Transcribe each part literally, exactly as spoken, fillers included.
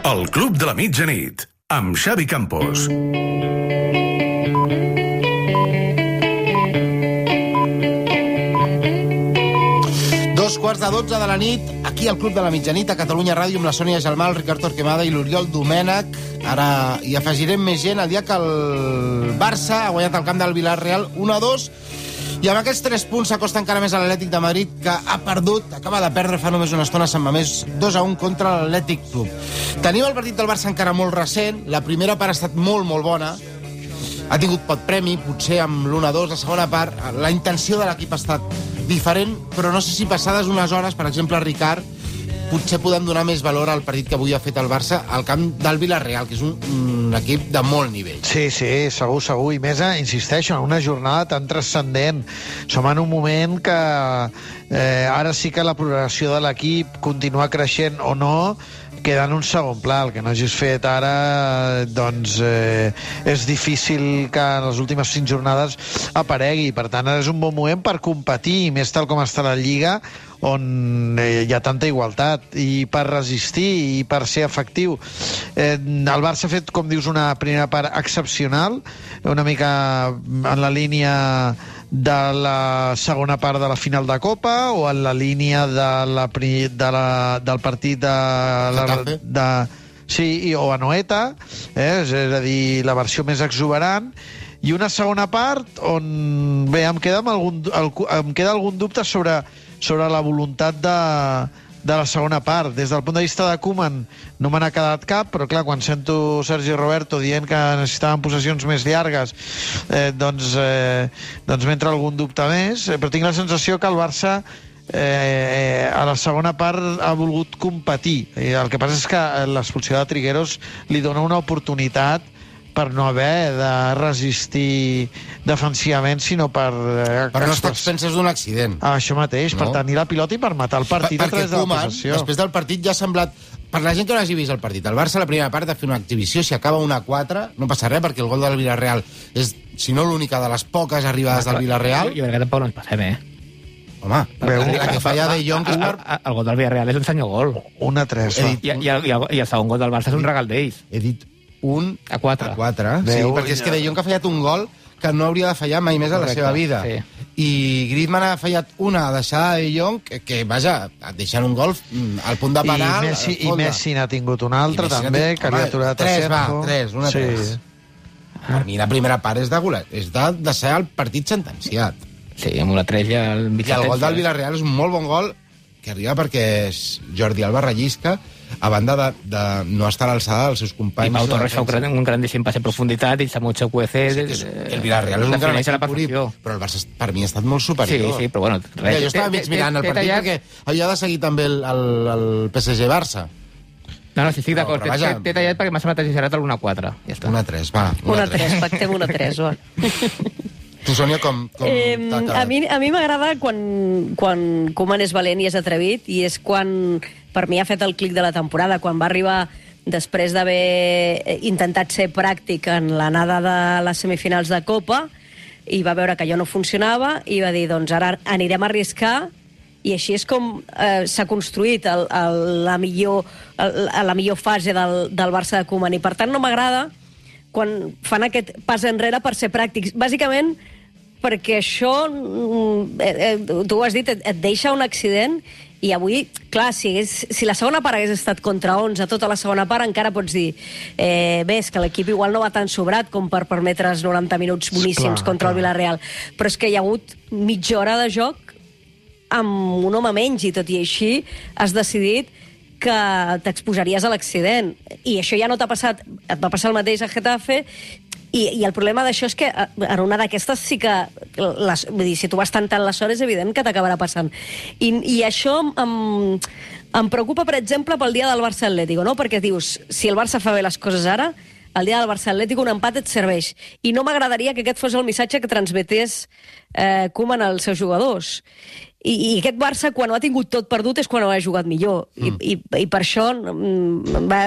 El Club de la Mitjanit, amb Xavi Campos. Dos quarts de dotze de la nit, aquí al Club de la Mitjanit, a Catalunya Ràdio, amb la Sònia Gelmà, el Ricard Torquemada i l'Oriol Domènech. Ara hi afegirem més gent el dia que el Barça ha guanyat el camp del Villarreal un a dos, i amb aquests tres punts s'acosta encara més a l'Atlètic de Madrid, que ha perdut, acaba de perdre fa només una estona a Sant Mamés, dos a un contra l'Atlètic Club. Tenim el partit del Barça encara molt recent, la primera part ha estat molt, molt bona, ha tingut pot premi, potser amb l'un a dos, la segona part, la intenció de l'equip ha estat diferent, però no sé si passades unes hores, per exemple, Ricard, potser podem donar més valor al partit que avui ha fet el Barça al camp del Villarreal, que és un, un equip de molt nivell. Sí, sí, segur, segur. I més, insisteixo, en una jornada tan transcendent. Som en un moment que eh, ara sí que la progressió de l'equip continua creixent o no, queda en un segon pla. El que no hagis fet ara, doncs, eh, és difícil que en les últimes cinc jornades aparegui. Per tant, ara és un bon moment per competir, més tal com està la Lliga, on eh, hi ha tanta igualtat, i per resistir i per ser efectiu. Eh, el Barça ha fet, com dius, una primera part excepcional, una mica en la línia de la segona part de la final de Copa, o en la línia de la, de la, del partit de... La, de sí, o a Noeta, eh, és a dir, la versió més exuberant, i una segona part on, bé, em queda, amb algun, el, em queda algun dubte sobre sobre la voluntat de, de la segona part. Des del punt de vista de Koeman no me n'ha quedat cap, però clar, quan sento Sergi Roberto dient que necessitaven possessions més llargues, eh, doncs, eh, doncs m'entra algun dubte més, eh, però tinc la sensació que el Barça eh, a la segona part ha volgut competir. I el que passa és que l'expulsió de Trigueros li dona una oportunitat per no haver de resistir defensivament, sinó per... Eh, però no estàs penses d'un accident. Ah, això mateix, no? Per tenir la pilota i per matar el partit per, a través de la possessió. Després del partit ja ha semblat... Per la gent que no hagi vist el partit, el Barça la primera part ha fet una exhibició, si acaba una a quatre, no passa res, perquè el gol del Villarreal és, si no l'única de les poques arribades del Villarreal. Jo crec que tampoc no ens passem, eh? Home, la que falla de Jong... El gol del Villarreal és un senyor gol. un a tres. I, i, el, i, el, I el segon gol del Barça és un regal d'ells. He dit un a quatre. A quatre. Sí, perquè és que De Jong ha fallat un gol que no hauria de fallar mai més a la seva vida. Sí. I Griezmann ha fallat una deixada de De Jong que, que vaja, deixant un gol al punt de penal. I Messi, i Messi n'ha tingut un altre, també, tingut, que li ha aturat a tres, Sergio. Va, tres, una sí. tres. Per mi la primera part és de golet, és de, de ser el partit sentenciat. Sí, amb una tres ja el mig. I el gol del Villarreal és un molt bon gol que arriba perquè és Jordi Alba rellisca, a banda de, de no estar a l'alçada dels seus companys. I Pau Torres fa un, un grandíssim passe en profunditat i Samuel Cuece... Sí, el Villarreal és un gran equip, però el Barça per mi ha estat molt superior. Sí, sí, però bueno... Res. Jo estava mig mirant el partit perquè havia de seguir també el, el, el P S G-Barça. No, no, sí, estic d'acord. T'he tallat perquè m'ha semblat exagerat el un a quatre. Ja està. un a tres, va. un a tres, pactem un a tres, va. Tu, Sònia, com, com eh, a mi, a mi m'agrada quan, quan Koeman és valent i és atrevit, i és quan, per mi, ha fet el clic de la temporada, quan va arribar després d'haver intentat ser pràctic en l'anada de les semifinals de Copa, i va veure que allò no funcionava, i va dir, doncs ara anirem a arriscar, i així és com eh, s'ha construït el, el, la, millor, el, la millor fase del, del Barça de Koeman, i per tant no m'agrada quan fan aquest pas enrere per ser pràctics. Bàsicament, perquè això, eh, eh, tu ho has dit, et, et deixa un accident, i avui, clar, si, hagués, si la segona part hagués estat contra onze, tota la segona part, encara pots dir, eh, bé, és que l'equip igual no va tan sobrat com per permetre's noranta minuts boníssims clar, contra clar. el Villarreal, però és que hi ha hagut mitja hora de joc amb un home menys, i tot i així has decidit que t'exposaries a l'accident, i això ja no t'ha passat, et va passar el mateix a Getafe, i, i el problema d'això és que en una d'aquestes sí que, les, vull dir, si tu vas tant tant les hores, és evident que t'acabarà passant. I, i això em, em preocupa, per exemple, pel dia del Barça Atlético, no? Perquè dius, si el Barça fa bé les coses ara, el dia del Barça Atlético un empat et serveix. I no m'agradaria que aquest fos el missatge que transmetés eh, Koeman als seus jugadors. I, i aquest Barça, quan ho ha tingut tot perdut, és quan ho ha jugat millor. Mm. I, i, I per això mm, va,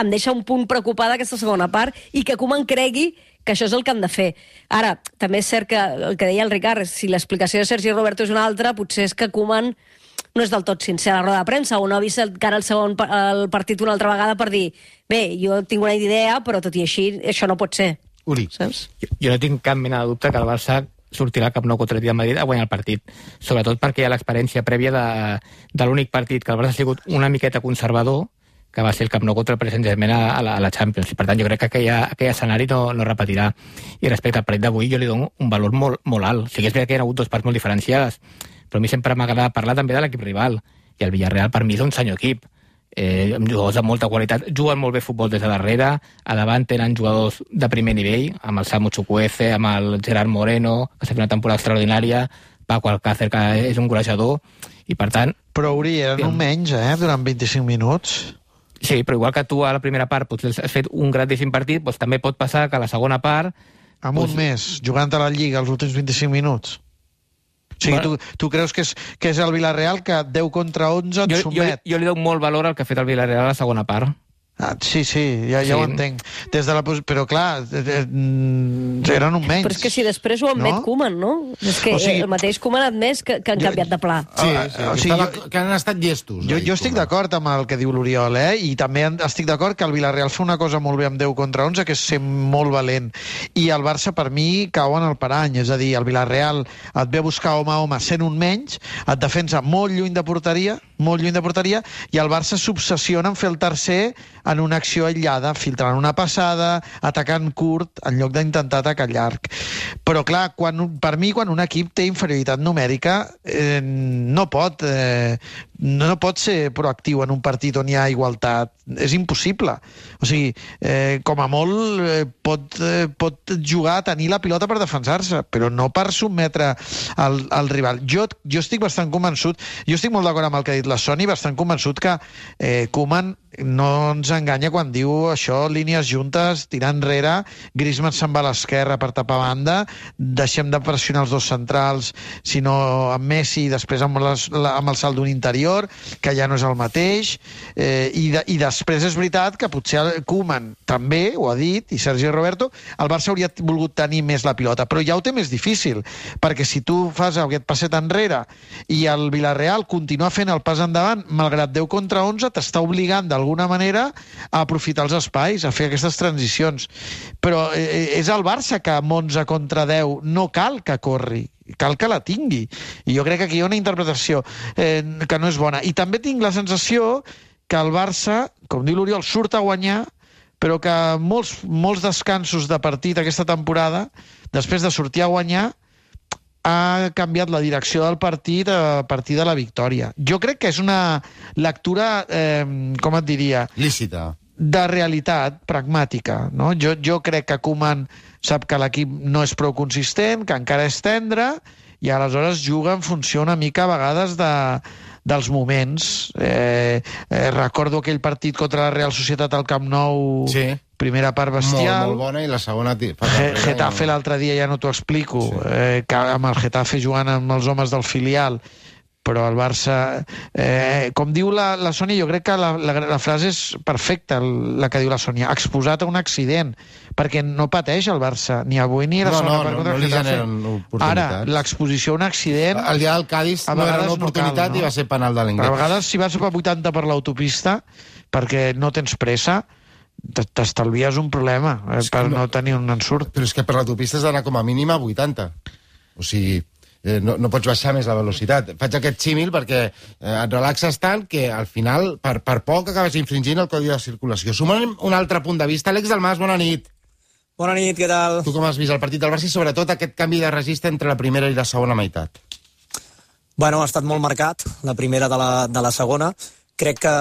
em deixa un punt preocupada aquesta segona part, i que Koeman cregui que això és el que han de fer. Ara, també és cert que el que deia el Ricard, si l'explicació de Sergi Roberto és una altra, potser és que Koeman no és del tot sincer a la roda de premsa, o no ha vist encara el segon el partit una altra vegada per dir bé, jo tinc una idea, però tot i així això no pot ser. Uri. Saps? Jo, jo no tinc cap mena de dubte que el Barça sortirà al Camp Nou contra el Real Madrid a guanyar el partit, sobretot perquè hi ha l'experiència prèvia de, de l'únic partit que el Barça ha sigut una miqueta conservador, que va ser el Camp Nou contra el Paris Saint-Germain a, a, la, a la Champions, i per tant jo crec que aquell, aquell escenari no, no repetirà. I respecte al partit d'avui jo li dono un valor molt, molt alt. O sigui, és veritat que hi ha hagut dues parts molt diferenciades, però a mi sempre m'agrada parlar també de l'equip rival, i el Villarreal per mi és un senyor equip, eh, amb jugadors de molta qualitat, juguen molt bé futbol des de darrere, a davant tenen jugadors de primer nivell, amb el Samu Chukwueze, amb el Gerard Moreno, que s'ha fet una temporada extraordinària, Paco Alcácer, que és un golejador, i per tant... Però, Uri, eren un menys, eh?, durant vint-i-cinc minuts. Sí, però igual que tu a la primera part potser has fet un grandíssim partit, doncs també pot passar que a la segona part... Amb doncs... un mes, jugant a la Lliga els últims vint-i-cinc minuts. O sigui, bueno, tu, tu creus que és, que és el Villarreal que deu contra onze et jo, somet? Jo, jo li dono molt valor al que ha fet el Villarreal a la segona part. Ah, sí, sí, ja, ja sí. ho entenc. Des de la pos... Però, clar, eren un menys. Però és que si després ho admet no? Koeman, no? És que o sigui... el mateix Koeman ha admès que, que han jo... canviat de pla. Sí, sí, o sigui, jo... que han estat llestos. Jo, jo estic d'acord amb el que diu l'Oriol, eh? I també estic d'acord que el Villarreal fa una cosa molt bé amb deu contra onze, que és ser molt valent. I el Barça, per mi, cau en el parany. És a dir, el Villarreal et ve a buscar home a home sent un menys, et defensa molt lluny de porteria, molt lluny de porteria, i el Barça s'obsessiona en fer el tercer en una acció aïllada, filtrant una passada, atacant curt, en lloc d'intentar atacar llarg. Però, clar, quan, per mi, quan un equip té inferioritat numèrica, eh, no pot eh, no pot ser proactiu en un partit on hi ha igualtat. És impossible. O sigui, eh, com a molt eh, pot, eh, pot jugar a tenir la pilota per defensar-se, però no per sotmetre el, el rival. Jo, jo estic bastant convençut, jo estic molt d'acord amb el que ha dit la Soni, bastant convençut que eh, Koeman no ens enganya quan diu això, línies juntes, tirar enrere, Griezmann se'n va a l'esquerra per tapar banda, deixem de pressionar els dos centrals, sinó amb Messi i després amb, les, la, amb el salt d'un interior, que ja no és el mateix, eh, i, de, i després és veritat que potser Koeman també ho ha dit, i Sergi Roberto, el Barça hauria volgut tenir més la pilota, però ja ho té més difícil, perquè si tu fas aquest passet enrere i el Villarreal continua fent el pas endavant, malgrat deu contra onze, t'està obligant d'alguna manera a aprofitar els espais, a fer aquestes transicions. Però eh, és el Barça que amb onze contra deu no cal que corri, cal que la tingui. I jo crec que aquí hi ha una interpretació eh, que no és bona. I també tinc la sensació que el Barça, com diu l'Oriol, surt a guanyar, però que molts, molts descansos de partit aquesta temporada, després de sortir a guanyar, ha canviat la direcció del partit a partir de la victòria. Jo crec que és una lectura, eh, com et diria... lícita. De realitat pragmàtica, no? Jo, jo crec que Koeman sap que l'equip no és prou consistent, que encara és tendre, i aleshores juga en funció una mica a vegades de, dels moments. Eh, eh, recordo aquell partit contra la Real Societat al Camp Nou... Sí. Primera part bestial. Molt, molt bona, i la segona... Getafe l'altre dia ja no t'ho explico, sí. eh, que amb el Getafe jugant amb els homes del filial, però el Barça... Eh, com diu la, la Sònia, jo crec que la, la, la frase és perfecta, la que diu la Sònia, exposat a un accident, perquè no pateix el Barça, ni avui ni la no, segona no, part no, contra no el Getafe. Ara, Ara, l'exposició a un accident... El dia del Cádiz no era una oportunitat no cal, no? I va ser penal de l'Ingrés. A vegades, si vas a vuitanta per l'autopista, perquè no tens pressa, t'estalvies un problema eh, per no, no tenir un ensurt. Però és que per l'autopista has d'anar com a mínim a vuitanta. O sigui, eh, no, no pots baixar més la velocitat. Faig aquest símil perquè eh, et relaxes tant que al final, per, per poc, acabes infringint el codi de circulació. Sumant un altre punt de vista. Àlex Dalmas, bona nit. Bona nit, què tal? Tu com has vist el partit del Barça i sobretot aquest canvi de registre entre la primera i la segona meitat? Bueno, ha estat molt marcat, la primera de la, de la segona. Crec que...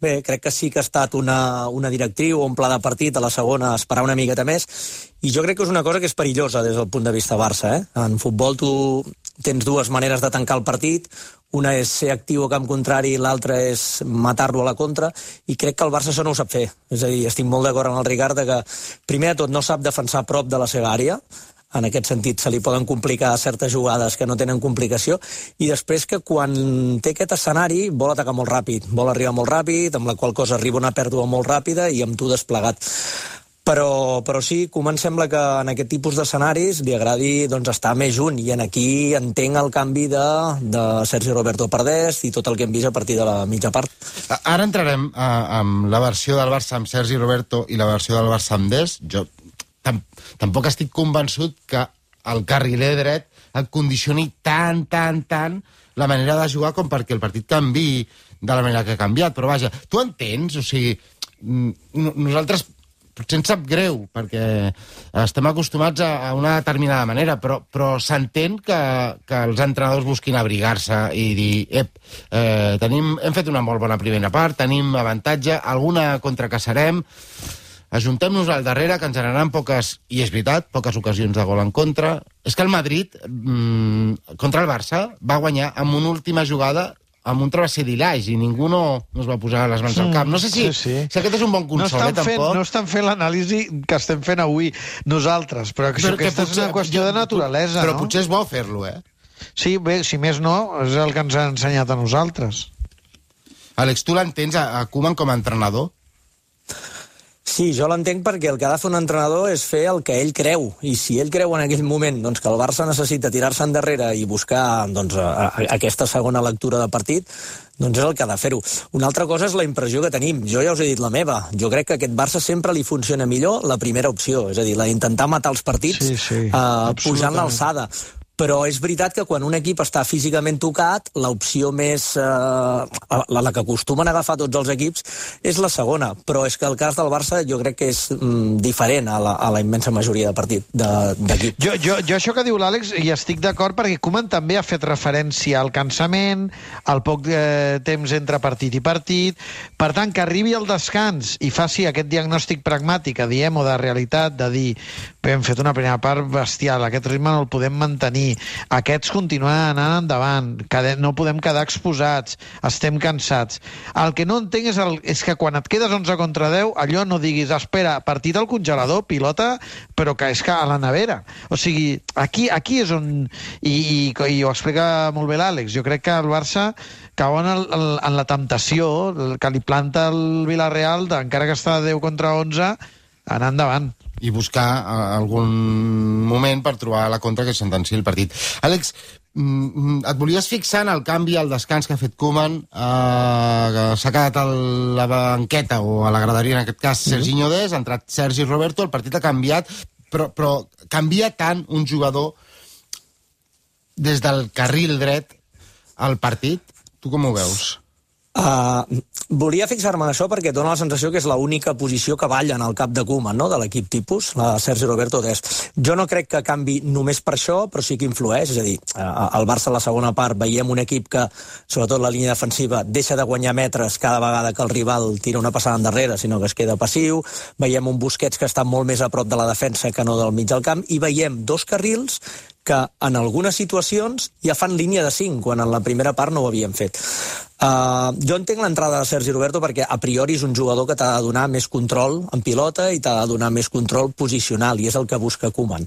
Bé, crec que sí que ha estat una, una directriu o un pla de partit a la segona esperar una miqueta més, i jo crec que és una cosa que és perillosa des del punt de vista Barça. Eh? En futbol tu tens dues maneres de tancar el partit, una és ser actiu a camp contrari, l'altra és matar-lo a la contra, i crec que el Barça això no ho sap fer. És a dir, estic molt d'acord amb el Ricard que primer de tot no sap defensar a prop de la seva àrea, en aquest sentit se li poden complicar certes jugades que no tenen complicació, i després que quan té aquest escenari vol atacar molt ràpid, vol arribar molt ràpid, amb la qual cosa arriba una pèrdua molt ràpida i amb tu desplegat. Però, però sí, Koeman sembla que en aquest tipus d'escenaris li agradi doncs, estar més junt, i en aquí entenc el canvi de, de Sergi Roberto per Dest i tot el que hem vist a partir de la mitja part. Ara entrarem a, amb la versió del Barça amb Sergi Roberto i la versió del Barça amb Dest. Jo tam, tampoc estic convençut que el carriler dret et condicioni tant, tant, tant la manera de jugar com perquè el partit canvi de la manera que ha canviat. Però vaja, tu entens? O sigui, nosaltres potser ens sap greu, perquè estem acostumats a, a una determinada manera, però, però s'entén que, que els entrenadors busquin abrigar-se i dir, ep, eh, tenim, hem fet una molt bona primera part, tenim avantatge, alguna contracaçarem, ajuntem-nos al darrere, que ens generaran poques, i és veritat, poques ocasions de gol en contra. És que el Madrid, mmm, contra el Barça, va guanyar amb una última jugada amb un travesser d'Ilage, i ningú no, no es va posar les mans al cap. No sé si, sí, sí. si aquest és un bon consol, no eh, tampoc. Fent, no estan fent l'anàlisi que estem fent avui nosaltres, però, però aquesta potser, és una qüestió de naturalesa, però no? Però potser és bo fer-lo, eh? Sí, bé, si més no, és el que ens ha ensenyat a nosaltres. Àlex, tu l'entens a, a Koeman com a entrenador? Sí, jo l'entenc perquè el que ha de fer un entrenador és fer el que ell creu, i si ell creu en aquell moment doncs, que el Barça necessita tirar-se endarrere i buscar doncs, a, a, aquesta segona lectura de partit, doncs és el que ha de fer-ho. Una altra cosa és la impressió que tenim. Jo ja us he dit la meva. Jo crec que a aquest Barça sempre li funciona millor la primera opció, és a dir, la d'intentar matar els partits sí, sí, uh, pujant l'alçada. Però és veritat que quan un equip està físicament tocat, l'opció més... Eh, la, la que acostumen a agafar tots els equips és la segona. Però és que el cas del Barça jo crec que és mm, diferent a la, a la immensa majoria de partit d'equip. Jo, jo, jo això que diu l'Àlex hi estic d'acord, perquè Koeman també ha fet referència al cansament, al poc eh, temps entre partit i partit. Per tant, que arribi al descans i faci aquest diagnòstic pragmàtic, diem, o de realitat, de dir, hem fet una primera part bestial, aquest ritme no el podem mantenir, aquests continuen anant endavant, no podem quedar exposats, estem cansats. El que no entenc és, el, és que quan et quedes onze contra deu, allò no diguis, espera, partit al congelador, pilota, però que és que a la nevera. O sigui, aquí, aquí és on... I, i, i ho explica molt bé l'Àlex. Jo crec que el Barça cau en, el, en la temptació que li planta el Villarreal, encara que està deu contra onze, anar endavant. I buscar algun moment per trobar la contra que sentenciï el partit. Àlex, et volies fixar en el canvi al descans que ha fet Koeman, eh, s'ha quedat a la banqueta, o a la graderia en aquest cas, Serginho Dest, ha entrat Sergi Roberto, el partit ha canviat, però, però canvia tant un jugador des del carril dret al partit? Tu com ho veus? Uh, volia fixar-me en això perquè dona la sensació que és l'única posició que balla en el cap de Koeman, no?, de l'equip tipus, la Sergi Roberto Dest. Jo no crec que canvi només per això, però sí que influeix, és a dir, uh, al Barça a la segona part veiem un equip que, sobretot la línia defensiva, deixa de guanyar metres cada vegada que el rival tira una passada endarrere, sinó que es queda passiu, veiem un Busquets que està molt més a prop de la defensa que no del mig del camp, i veiem dos carrils que en algunes situacions ja fan línia de cinc, quan en la primera part no ho havien fet. Uh, jo entenc l'entrada de Sergi Roberto perquè a priori és un jugador que t'ha de donar més control en pilota i t'ha de donar més control posicional, i és el que busca Koeman.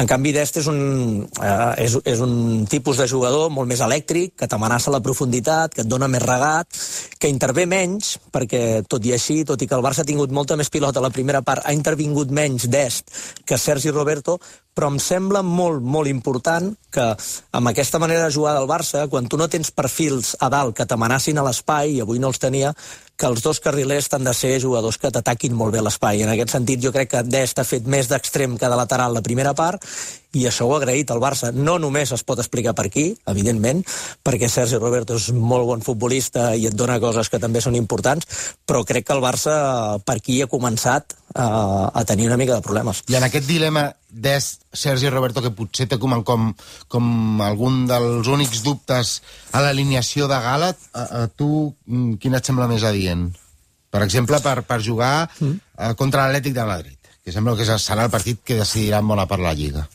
En canvi, Dest és un, uh, és, és un tipus de jugador molt més elèctric, que t'amenaça la profunditat, que et dona més regat, que intervé menys, perquè tot i així, tot i que el Barça ha tingut molta més pilota a la primera part, ha intervingut menys Dest que Sergi Roberto, però em sembla molt, molt important que amb aquesta manera de jugar del Barça, quan tu no tens perfils a dalt que t'amenacin a l'espai, i avui no els tenia, que els dos carrilers han de ser jugadors que t'ataquin molt bé l'espai. En aquest sentit, jo crec que Dest ha fet més d'extrem que de lateral la primera part, i això ho ha agraït al Barça. No només es pot explicar per aquí, evidentment, perquè Sergi Roberto és molt bon futbolista i et dona coses que també són importants, però crec que el Barça per aquí ha començat a, a tenir una mica de problemes. I en aquest dilema Dest, Sergi Roberto, que potser té com, com, com algun dels únics dubtes a l'alineació de Gala, a, a tu quin et sembla més adient? Per exemple, per, per jugar mm. uh, contra l'Atlètic de Madrid, que sembla que serà el partit que decidirà en bona part la Lliga.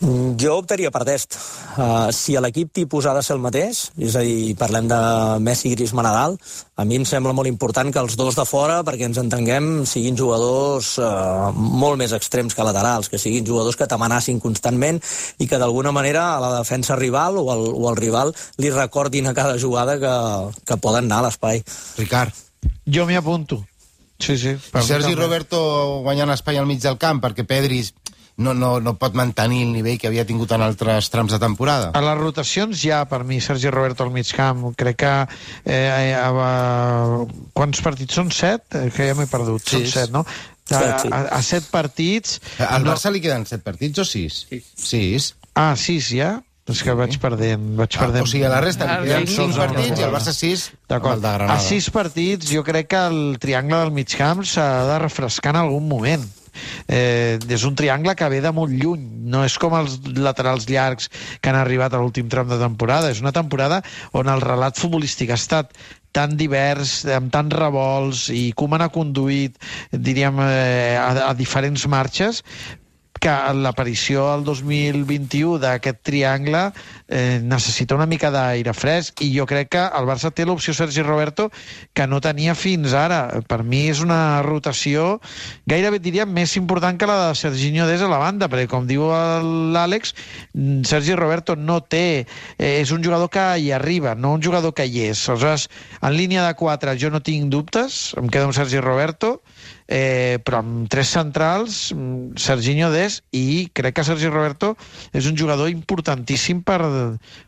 Jo optaria per Dest. Uh, si l'equip tipus ha de ser el mateix, és a dir, parlem de Messi, Griezmann, Nadal, a mi em sembla molt important que els dos de fora, perquè ens entenguem, siguin jugadors uh, molt més extrems que laterals, que siguin jugadors que t'amenacin constantment i que d'alguna manera a la defensa rival o al, o al rival li recordin a cada jugada que, que poden anar a l'espai. Ricard. Jo m'hi apunto. Sí, sí. Sergi Roberto guanyant espai al mig del camp, perquè Pedri no, no, no pot mantenir el nivell que havia tingut en altres trams de temporada. A les rotacions ja, per mi, Sergi Roberto al mig camp. Crec que... Eh, a, a, quants partits són? Set? Eh, que ja m'he perdut. Són set, no? A, a, a set partits... Al Barça no... li queden set partits o sis? Sis. Sis. Ah, sis ja? És que vaig perdent... Vaig ah, perdent... O sigui, a la resta li queden cinc partits i al Barça sis. D'acord. A sis partits jo crec que el triangle del mig camp s'ha de refrescar en algun moment. Eh, és un triangle que ve de molt lluny, no és com els laterals llargs que han arribat a l'últim tram de temporada. És una temporada on el relat futbolístic ha estat tan divers, amb tants revolts, i Koeman ha conduït, diríem, eh, a, a diferents marxes, que l'aparició al dos mil vint-i-u d'aquest triangle eh, necessita una mica d'aire fresc, i jo crec que el Barça té l'opció Sergi Roberto que no tenia fins ara. Per mi és una rotació gairebé diríem més important que la de Serginho Dest a la banda, perquè com diu l'Àlex, Sergi Roberto no té, eh, és un jugador que hi arriba, no un jugador que hi és. Aleshores, en línia de quatre jo no tinc dubtes, em quedo amb Sergi Roberto, Eh, però amb tres centrals, Serginho Dest, i crec que Sergi Roberto és un jugador importantíssim per,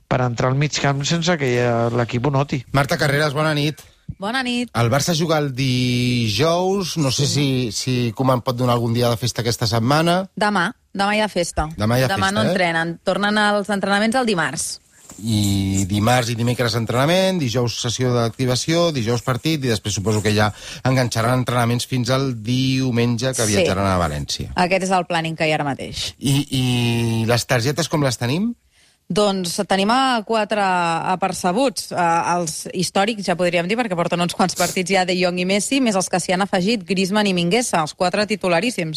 per entrar al mig camp sense que l'equip ho noti. Marta Carreras, bona nit. Bona nit. El Barça juga el dijous, no sé si, si Koeman pot donar algun dia de festa aquesta setmana. Demà, demà hi ha festa. Demà hi ha demà festa, no eh? entrenen, tornen als entrenaments el dimarts. I dimarts i dimecres entrenament, dijous sessió d'activació, dijous partit, i després suposo que ja enganxaran entrenaments fins al diumenge que viatjaran sí. a València. Aquest és el planning que hi ha ara mateix. I, i les targetes com les tenim? Doncs tenim a quatre apercebuts, eh, els històrics ja podríem dir, perquè porten uns quants partits ja de Jong i Messi, més els que s'hi han afegit, Griezmann i Mingueza, els quatre titularíssims.